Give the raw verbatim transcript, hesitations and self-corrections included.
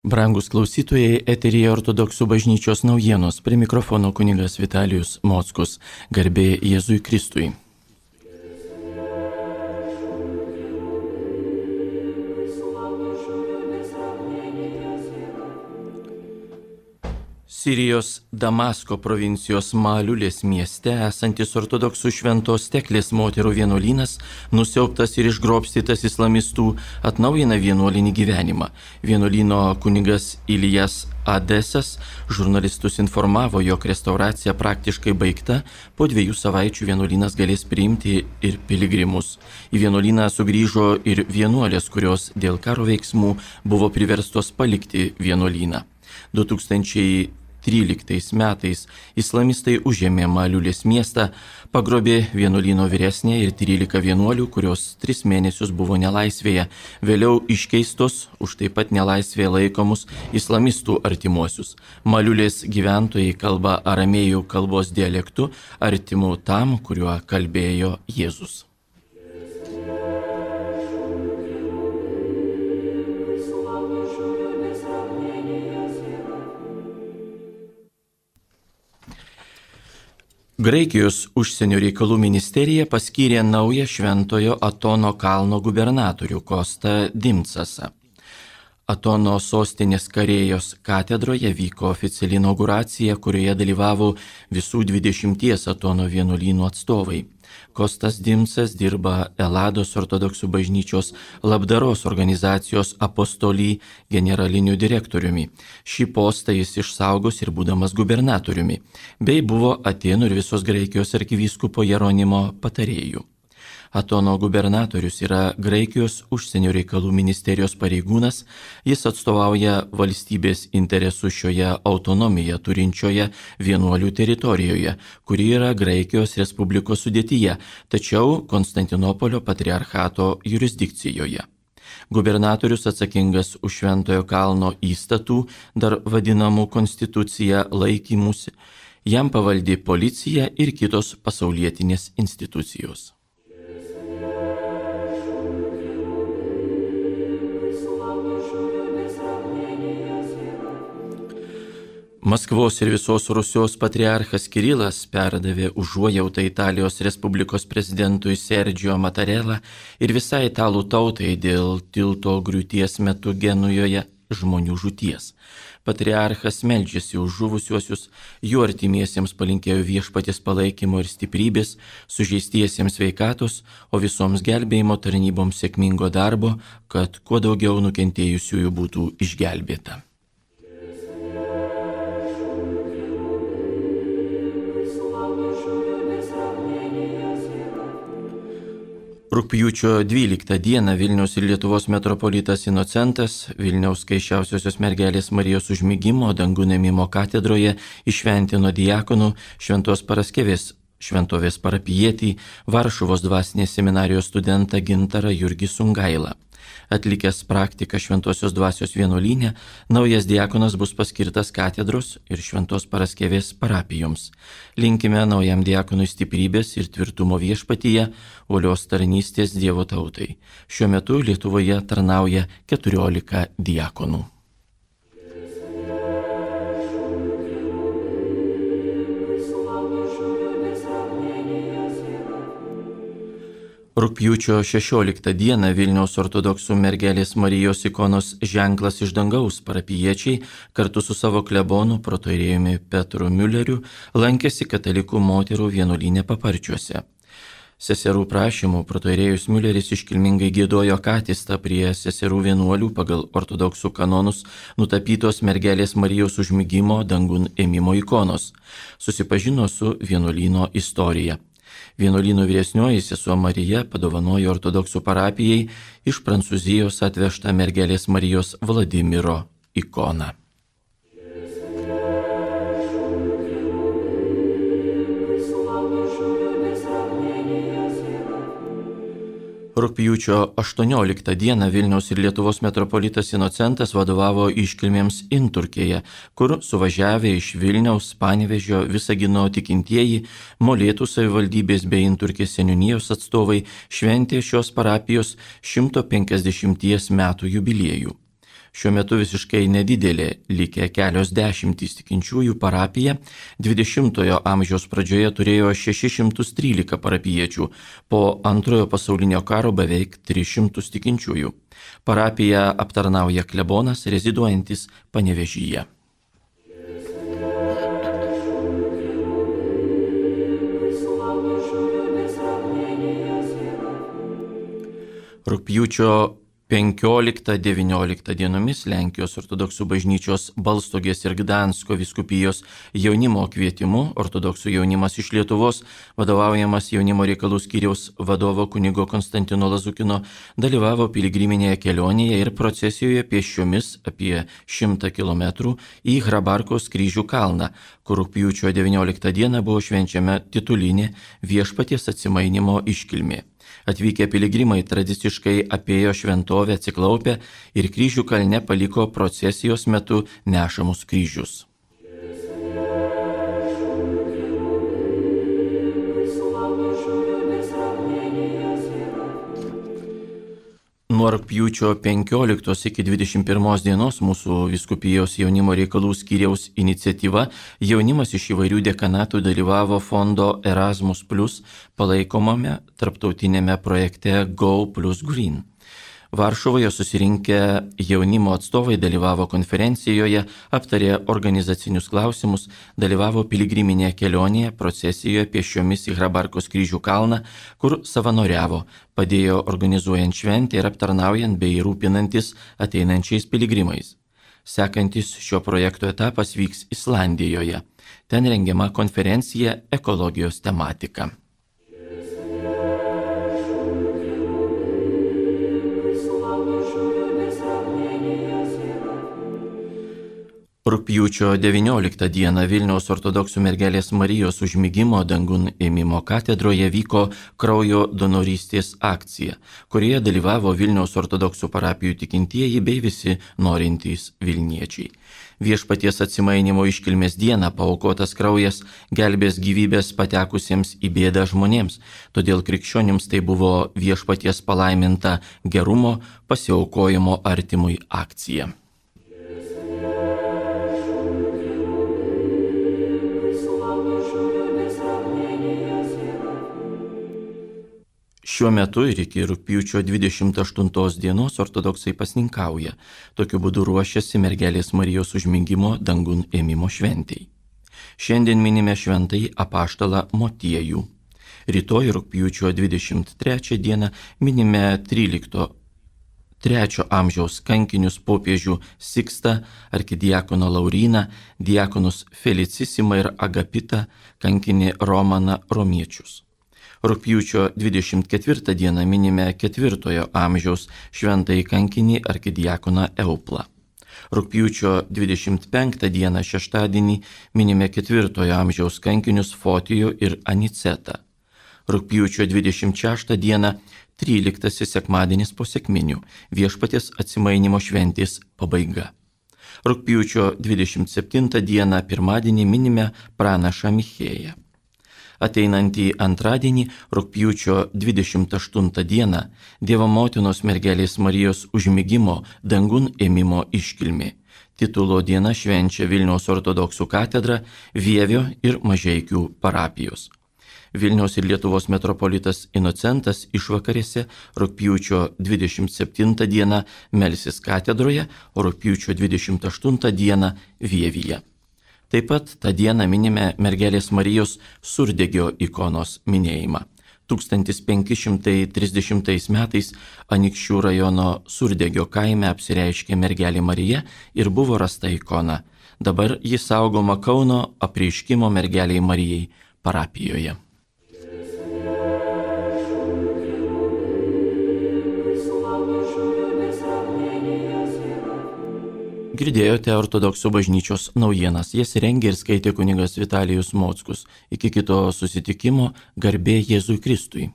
Brangus klausytojai, eteryje Ortodoksų bažnyčios naujienos, prie mikrofono kunigas Vitalijus Mockus, garbė Jėzui Kristui. Sirijos Damasko provincijos Maliulės mieste esantis ortodoksų Šventos Teklės moterų vienuolynas, nusiaubtas ir išgrobstytas islamistų, atnaujina vienuolinį gyvenimą. Vienuolyno kunigas Ilijas Adesas žurnalistus informavo, jog restauracija praktiškai baigta, po dviejų savaičių vienuolynas galės priimti ir piligrimus. Į vienuolyną sugrįžo ir vienuolės, kurios dėl karo veiksmų buvo priverstos palikti vienuolyną. du tūkstančiai tryliktais metais islamistai užėmė Maliulės miestą, pagrobė vienuolyno vyresnę ir trylika vienuolių, kurios tris mėnesius buvo nelaisvėje, vėliau iškeistos už taip pat nelaisvėje laikomus islamistų artimuosius. Maliulės gyventojai kalba aramėjų kalbos dialektu, artimu tam, kuriuo kalbėjo Jėzus. Graikijos užsienio reikalų ministerija paskyrė naują Šventojo Atono kalno gubernatorių Kostą Dimcasą. Atono sostinės Karėjos katedroje vyko oficiali inauguracija, kurioje dalyvavo visų dvidešimties Atono vienuolynų atstovai. Kostas Dimcas dirba Elados ortodoksų bažnyčios labdaros organizacijos Apostolį generaliniu direktoriumi. Šį postą jis išsaugos ir būdamas gubernatoriumi, bei buvo Atėnų ir visos Graikijos arkivyskupo Jeronimo patarėjų. Atono gubernatorius yra Graikijos užsienio reikalų ministerijos pareigūnas, jis atstovauja valstybės interesų šioje autonomiją turinčioje vienuolių teritorijoje, kuri yra Graikijos Respublikos sudėtyje, tačiau Konstantinopolio patriarchato jurisdikcijoje. Gubernatorius atsakingas už Šventojo kalno įstatų, dar vadinamų konstitucija, laikymusi, jam pavaldi policija ir kitos pasaulietinės institucijos. Maskvos ir visos Rusijos patriarchas Kirilas perdavė užuojautą Italijos Respublikos prezidentui Sergio Mattarella ir visai italų tautai dėl tilto griūties metu Genujoje žmonių žūties. Patriarchas meldžiasi už žuvusiuosius, jų artimiesiems palinkėjo viešpaties palaikymo ir stiprybės, sužeistiesiems sveikatos, o visoms gelbėjimo tarnyboms sėkmingo darbo, kad kuo daugiau nukentėjusiųjų būtų išgelbėta. Rugpjūčio dvyliktą dieną Vilniaus ir Lietuvos metropolitas Inocentas Vilniaus Skaisčiausiosios mergelės Marijos užmigimo dangun ėmimo katedroje įšventino diakonų Šventos Paraskevės šventovės parapijietį, Varšuvos dvasinės seminarijos studentą Gintarą Jurgį Sungailą. Atlikęs praktiką Šventosios dvasios vienuolyne, naujas diakonas bus paskirtas katedros ir Šventos Paraskevės parapijoms. Linkime naujam diakonui stiprybės ir tvirtumo viešpatyje, uolios tarnystės Dievo tautai. Šiuo metu Lietuvoje tarnauja keturiolika diakonų. Rugpjūčio šešioliktą dieną Vilniaus ortodoksų mergelės Marijos ikonos ženklas iš dangaus parapijiečiai kartu su savo klebonu protoieriejumi Petru Miuleriu lankėsi katalikų moterų vienuolyne Paparčiuose. Seserų prašymų protoierėjus Miuleris iškilmingai giedojo katistą prie seserų vienuolių pagal ortodoksų kanonus nutapytos mergelės Marijos užmigimo dangun ėmimo ikonos. Susipažino su vienuolyno istorija. Vienuolyno vyresnioji sesuo Marija padovanojo ortodoksų parapijai iš Prancūzijos atvežtą mergelės Marijos Vladimiro ikoną. Rugpjūčio aštuonioliktą dieną Vilniaus ir Lietuvos metropolitas Inocentas vadovavo iškilmėms Inturkėje, kur suvažiavę iš Vilniaus, Panevėžio, Visagino tikintieji, Molėtų savivaldybės bei Inturkės seniūnijos atstovai šventė šios parapijos šimto penkiasdešimties metų jubiliejų. Šiuo metu visiškai nedidelė, likę kelios dešimtys tikinčiųjų parapija, dvidešimtojo amžiaus pradžioje turėjo šešis šimtus trylika parapiečių, po antrojo pasaulinio karo beveik tris šimtus tikinčiųjų. Parapiją aptarnauja klebonas, reziduojantis Panevėžyje. Rugpjūčio penkioliktą devynioliktą dienomis Lenkijos ortodoksų bažnyčios Balstogės ir Gdansko vyskupijos jaunimo kvietimu ortodoksų jaunimas iš Lietuvos, vadovaujamas jaunimo reikalų skyriaus vadovo kunigo Konstantino Lazukino, dalyvavo piligriminėje kelionėje ir procesijoje pėsčiomis apie šimtą kilometrų į Hrabarkos kryžių kalną, kur rugpjūčio devynioliktą dieną buvo švenčiama titulinė Viešpaties atsimainymo iškilmė. Atvykę piligrimai tradiciškai apėjo šventovę atsiklaupę ir kryžių kalne paliko procesijos metu nešamus kryžius. Nuo rugpjūčio penkioliktos iki dvidešimt pirmos dienos mūsų vyskupijos jaunimo reikalų skyriaus iniciatyva jaunimas iš įvairių dekanatų dalyvavo fondo Erasmus plus palaikomame tarptautinėme projekte Go plus Green. Varšuvoje susirinkę jaunimo atstovai dalyvavo konferencijoje, aptarė organizacinius klausimus, dalyvavo piligriminėje kelionėje, procesijoje pėsčiomis į Hrabarkos kryžių kalną, kur savanoriavo, padėjo organizuojant šventę ir aptarnaujant bei rūpinantis ateinančiais piligrimais. Sekantis šio projekto etapas vyks Islandijoje. Ten rengiama konferencija ekologijos tematika. Rugpjūčio devynioliktą dieną Vilniaus ortodoksų mergelės Marijos užmigimo dangun ėmimo katedroje vyko kraujo donorystės akcija, kurioje dalyvavo Vilniaus ortodoksų parapijų tikintieji bei visi norintys Vilniečiai. Viešpaties atsimainymo iškilmės dieną paaukotas kraujas gelbės gyvybės patekusiems į bėdą žmonėms, todėl krikščionims tai buvo Viešpaties palaiminta gerumo pasiaukojimo artimui akcija. Šiuo metu ir iki rugpjūčio dvidešimt aštuntos dienos ortodoksai pasninkauja, tokiu būdu ruošiasi mergelės Marijos užmigimo dangun ėmimo šventei. Šiandien minime šventąjį apaštalą Motiejų. Rytoj rugpjūčio dvidešimt trečią dieną minime trylikto trečio amžiaus kankinius popiežių Sikstą, arkidiakoną Lauryną, diakonus Felicisimą ir Agapitą, kankinį Romaną Romiečius. Rugpjūčio dvidešimt ketvirtą dieną minime ketvirtojo amžiaus šventąjį kankinį arkidiakoną Euplą. Rugpjūčio dvidešimt penktą dieną šeštadienį minime ketvirtojo amžiaus kankinius Fotijų ir Anicetą. Rugpjūčio dvidešimt šeštą dieną tryliktasis sekmadienis po sekminių, Viešpaties atsimainymo šventės pabaiga. Rugpjūčio dvidešimt septintą dieną pirmadienį minime pranašą Michėją. Ateinantį antradienį, rugpjūčio dvidešimt aštuntą dieną, Dievo motinos mergelės Marijos užmigimo dangun ėmimo iškilmė. Titulo diena švenčia Vilniaus ortodoksų katedra, Vievio ir Mažeikių parapijos. Vilniaus ir Lietuvos metropolitas Inocentas išvakarėse rugpjūčio dvidešimt septintą dieną melsis katedroje, o rugpjūčio dvidešimt aštuntą dieną Vievyje. Taip pat tą dieną minime mergelės Marijos surdegio ikonos minėjimą. tūkstantis penki šimtai trisdešimtais metais Anykščių rajono Surdegio kaime apsireiškė mergelė Marija ir buvo rasta ikona. Dabar ji saugoma Kauno Apreiškimo mergelei Marijai parapijoje. Girdėjote ortodoksų bažnyčios naujienas, jas rengė ir skaitė kunigas Vitalijus Mockus. Iki kito susitikimo, garbė Jėzui Kristui.